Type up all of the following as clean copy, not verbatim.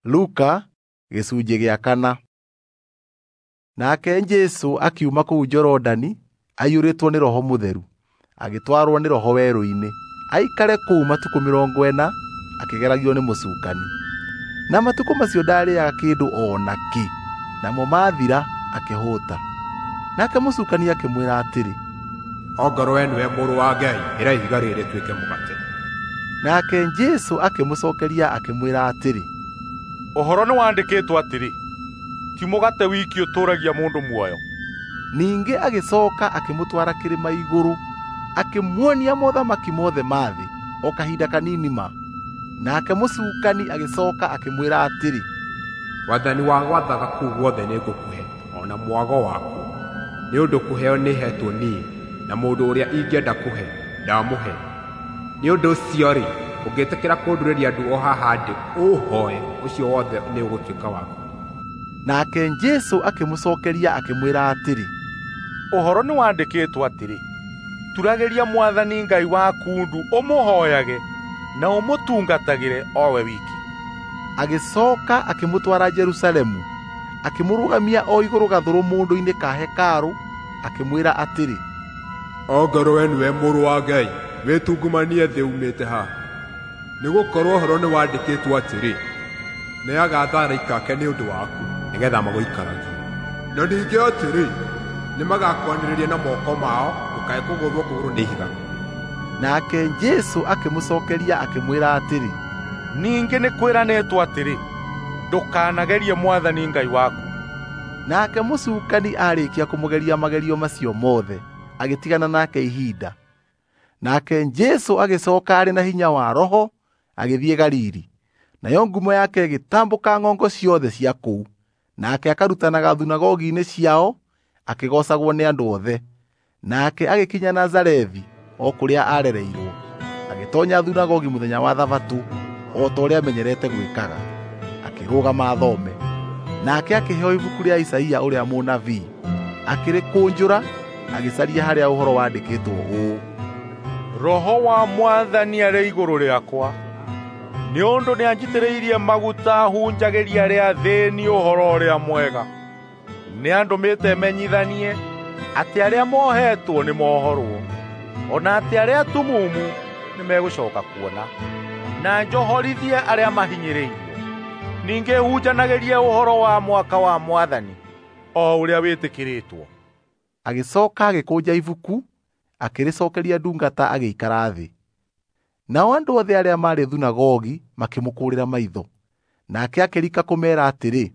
Luka gĩcunjĩ gĩa kana. Nake Jesũ akiuma kũu Jorodani aiyũrĩtwo nĩ Roho Mũtheru, agĩtwarwo nĩ Roho werũ-inĩ, aikare kũu matukũ 40 akĩgeragio nĩ mũcukani. Na matukũ macio ndaarĩaga kĩndũ o nakĩ, namo maathira akĩhũũta. Nake mũcukani akĩmwĩra atĩrĩ, "Ongorwo we nĩwe Mũrũ wa Ngai, ĩra ihiga rĩrĩ rĩtuĩke mũgate." Nake Jesũ akĩmũcookeria akĩmwĩra atĩrĩ, "Ũhoro nĩwandĩkĩtwo atĩrĩ, ti mũgate wiki ũtũũragia mũndũ muoyo." Ningĩ agĩcooka akĩmũtwara kĩrĩma igũrũ, akĩmuonia mothamaki mothe ma thĩ o kahinda kanini ma. Nake mũcukani agĩcooka akĩmwĩra atĩrĩ, "Wathani wa gwathaga kũu guothe nĩngũkũhe, o na mwago wakuo, nĩ ũndũ kũheo nĩheetwo niĩ, na mũndũ ũrĩa ingĩenda kũhe, ndamũhe. Nĩ ũndũ ũcio-rĩ, ũngĩtĩkĩra kũndurĩria ndu o haha ndĩ ũũhooe, ũcio wothe nĩũgũtuĩka waku." Nake Jesũ akĩmũcookeria akĩmwĩra atĩrĩ, "Ũhoro nĩwandĩkĩtwo atĩrĩ, turagĩria Mwathani Ngai waku ndu ũmũhooyage na ũmũtungatagĩre o we wiki." Agĩcooka akĩmũtwara Jerusalemu, akĩmũrũgamia o igũrũ gathũrũmũndũ-inĩ ka hekarũ, akĩmwĩra atĩrĩ, "Ongorwo we nĩwe Mũrũ wa Ngai, wĩtungumanie thĩ uumĩte haha. Nĩgũkorwo ũhoro nĩwandĩkĩtwo atĩrĩ, nĩagaatha araika ake nĩ ũndũ waku, nĩgeetha magũikaragie. Na ningĩ atĩrĩ, nĩmagakwanĩrĩria na moko mao, ndũkae kũgũthwo kũgũrũ nĩ ihiga." Nake Jesũ akĩmũcookeria akĩmwĩra atĩrĩ, "Ningĩ nĩ kwĩranĩtwo atĩrĩ, ndũkanagerie Mwathani Ngai waku." Nake mũcukani aarĩkia kũmũgeria magerio macio mothe, agĩtigana nake ihinda. Nake Jesũ agĩcooka arĩ na hinya wa Roho agĩthiĩ Galili, nayo ngumo yake ĩgĩtambũka ng'ongo ciothe cia kũu. Nake akarutanaga thunagogi-inĩ ciao, akĩgoocagwo nĩ andũ othe. Nake agĩkinya Nazarethi, o kũrĩa aarereirwo, agĩtoonya thunagogi mũthenya wa Thabatũ o ta ũrĩa amenyerete gwĩkaga, akĩrũgama athome. Nake akĩheo ibuku rĩa Isaia ũrĩa mũnabii, akĩrĩkũnjũra, agĩcaria harĩa ũhoro wandĩkĩtwo ũũ: "Roho wa Mwathani arĩ igũrũ rĩakwa, nĩ ũndũ nĩanjitĩrĩirie maguta hunjagĩrie arĩa athĩĩni ũhoro ũrĩa mwega. Nĩandũmĩte menyithanie atĩ arĩa mohetwo nĩmohorwo, o na atĩ arĩa atumumu nĩmegũcooka kuona, na njohorithie arĩa mahinyĩrĩirio. Ningĩ hunjanagĩrie ũhoro wa mwaka wa Mwathani, o ũrĩa wĩtĩkĩrĩtwo." Agĩcooka agĩkũnja ibuku, akĩrĩcookeria ndungata agĩikara thĩ. Nao andũ othe arĩa maarĩ thunagogi makĩmũkũũrĩra maitho. Nake akĩrika kũmeera atĩrĩ,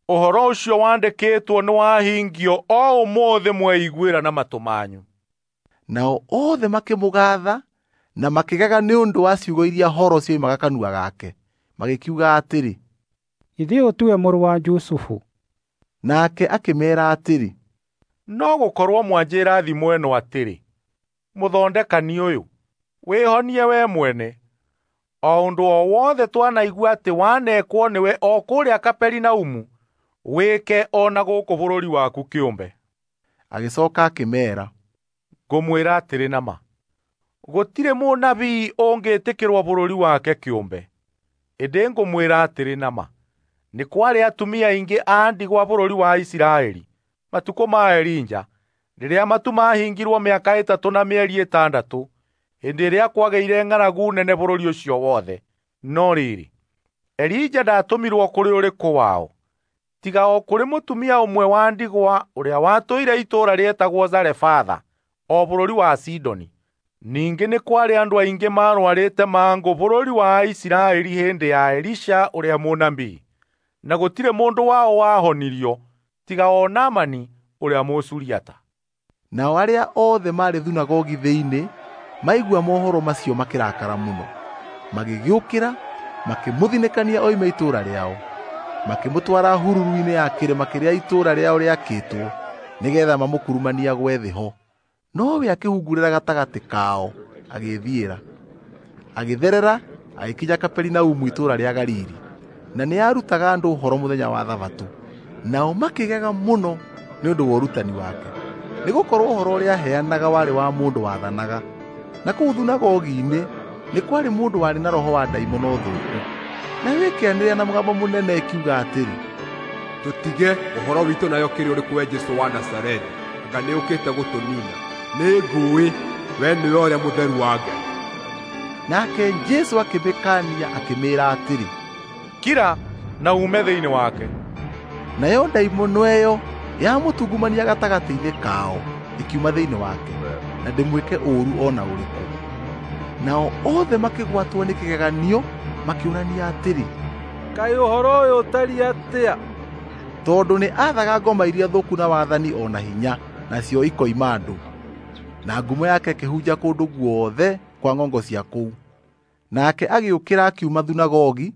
"Ũhoro ũcio wandĩkĩtwo nĩwahingio o ũmũthĩ mweiguĩra na matũ manyu." Nao othe makĩmũgaatha na makĩgega nĩ ũndũ wa ciugo iria horo cioimaga kanua gake, magĩkiuga atĩrĩ, "Githĩ ũyũ tiwe mũrũ wa Jusufu?" Nake akĩmeera atĩrĩ, "No gũkorwo mwanjĩĩra thimo ĩno atĩrĩ, mũthondekani ũyũ, wĩhonie we mwene. O ũndũ o wothe twanaigua atĩ wanekwo nĩwe o kũrĩa Kaperinaumu, wĩke o na gũkũ bũrũri waku kĩũmbe." Agĩcooka akĩmeera, "Ngũmwĩra atĩrĩ na ma, gũtirĩ mũnabii ũngĩtĩkĩrwo bũrũri wake kĩũmbe. Ĩndĩ ngũmwĩra atĩrĩ na ma, nĩ kwarĩ atumia aingĩ a ndigwa bũrũri wa Isiraeli matukũ ma Elija, rĩrĩa matu maahingirwo mĩaka 3 na mĩeri 6, hĩndĩ ĩrĩa kwagĩire ng'aragu nene bũrũri ũcio wothe. No rĩrĩ, Elija ndaatũmirwo kũrĩ ũrĩkũ wao, tiga o kũrĩ mũtumia ũmwe wa ndigwa ũrĩa watũire itũũra rĩetagwo Zarefatha, o bũrũri wa Sidoni. Ningĩ nĩ kwarĩ andũ aingĩ maarũarĩte mangũ bũrũri wa Isiraeli hĩndĩ ya Elisha ũrĩa mũnabii, na gũtirĩ mũndũ wao wahonirio tiga o Naamani ũrĩa Mũsuriata." Nao arĩa othe maarĩ thunagogi thĩinĩ maigua mohoro macio makĩrakara mũno, magĩgĩũkĩra makĩmũthinĩkania oime itũũra rĩao, makĩmũtwara hururu-inĩ ya kĩrĩma kĩrĩa itũũra rĩao rĩakĩtwo, nĩgeetha mamũkurumanie agwe thĩ ho. Nowe akĩhungurĩra gatagatĩ kao, agĩĩthiĩra. Agĩtherera agĩkinya Kaperinaumu itũũra rĩa Galili, na nĩarutaga andũ ũhoro mũthenya wa Thabatũ. Nao makĩgega mũno nĩ ũndũ wa ũrutani wake, nĩgũkorwo ũhoro ũrĩa aaheanaga warĩ wa mũndũ wathanaga. Na kũu thunagogi-inĩ nĩ kwarĩ mũndũ warĩ na roho wa ndaimono thũku, Nayo ĩkĩanĩrĩra na mũgambo mũnene ĩkiuga atĩrĩ, Tũtige ũhoro witũ nayo kĩrĩ ũrĩkũ we Jesũ wa Nazarethi? Anga nĩũkĩte gũtũniina? Nĩngũũĩ we nĩwe ũrĩa mũtheru wa Ngai. Nake Jesũ akĩmĩkaania akĩmĩĩra atĩrĩ, Kira na uume thĩinĩ wake. Nayo ndaimono ĩyo yamũtungumania gatagatĩ-inĩ kao ĩkiuma thĩinĩ wake, na ndĩmwĩke ũũru o na ũrĩkũ. Nao othe makĩgwatwo nĩ kĩgeganio makĩũrania atĩrĩ, Kaĩ ũhoro ũyũ ũtariĩ atĩa? Tondũ nĩ aathaga ngoma iria thũku na wathani o na hinya, nacio ikoima andũ. Na ngumo yake ĩkĩhunja kũndũ guothe kwa ng'ongo cia kũu. Nake agĩũkĩra akiuma thunagogi,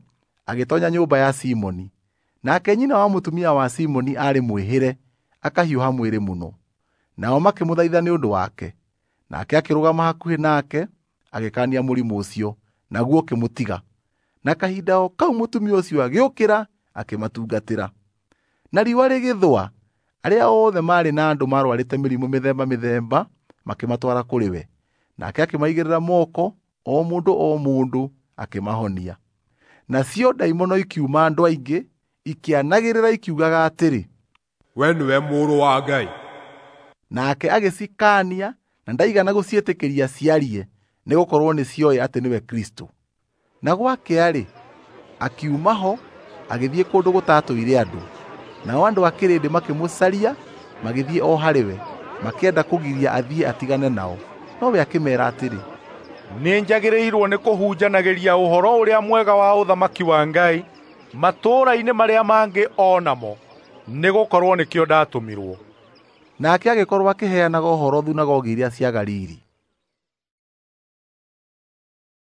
agĩtoonya nyũmba ya Simoni. Nake nyina wa mũtumia wa Simoni aarĩ mwĩhĩre, akahiũha mwĩrĩ mũno. Nao makĩmũthaitha nĩ ũndũ wake. Nake akĩrũgama hakuhĩ nake, agĩkaania mũrimũ ũcio, naguo ũkĩmũtiga. Na kahinda o kau mũtumia ũcio agĩũkĩra akĩmatungatĩra. Na riũa rĩgĩthũa, arĩa othe maarĩ na andũ maarũarĩte mĩrimũ mĩthemba mĩthemba makĩmatwara kũrĩ we. Nake akĩmaigĩrĩra moko, o mũndũ o mũndũ akĩmahonia. Nacio ndaimono ikiuma andũ aingĩ, ikĩanagĩrĩra ikiugaga atĩrĩ, We nĩwe Mũrũ wa Ngai. Nake agĩcikaania na ndaigana gũciĩtĩkĩria ciarie, nĩgũkorwo nĩcioĩ atĩ nĩwe Kristũ. Na gwakĩa-rĩ, akiuma ho agĩthiĩ kũndũ gũtatũire andũ. Nao andũ a kĩrĩndĩ makĩmũcaria magĩthiĩ o harĩ we, makĩenda kũgiria athiĩ atigane nao. Nowe akĩmeera atĩrĩ, Nĩnjagĩrĩirwo nĩ kũhunjanagĩria ũhoro ũrĩa mwega wa ũthamaki wa Ngai matũũra-inĩ marĩa mangĩ o namo, nĩgũkorwo nĩkĩo ndatũmirwo. Nake agĩkorwo akĩheanaga ũhoro thunagogi iria cia Galili.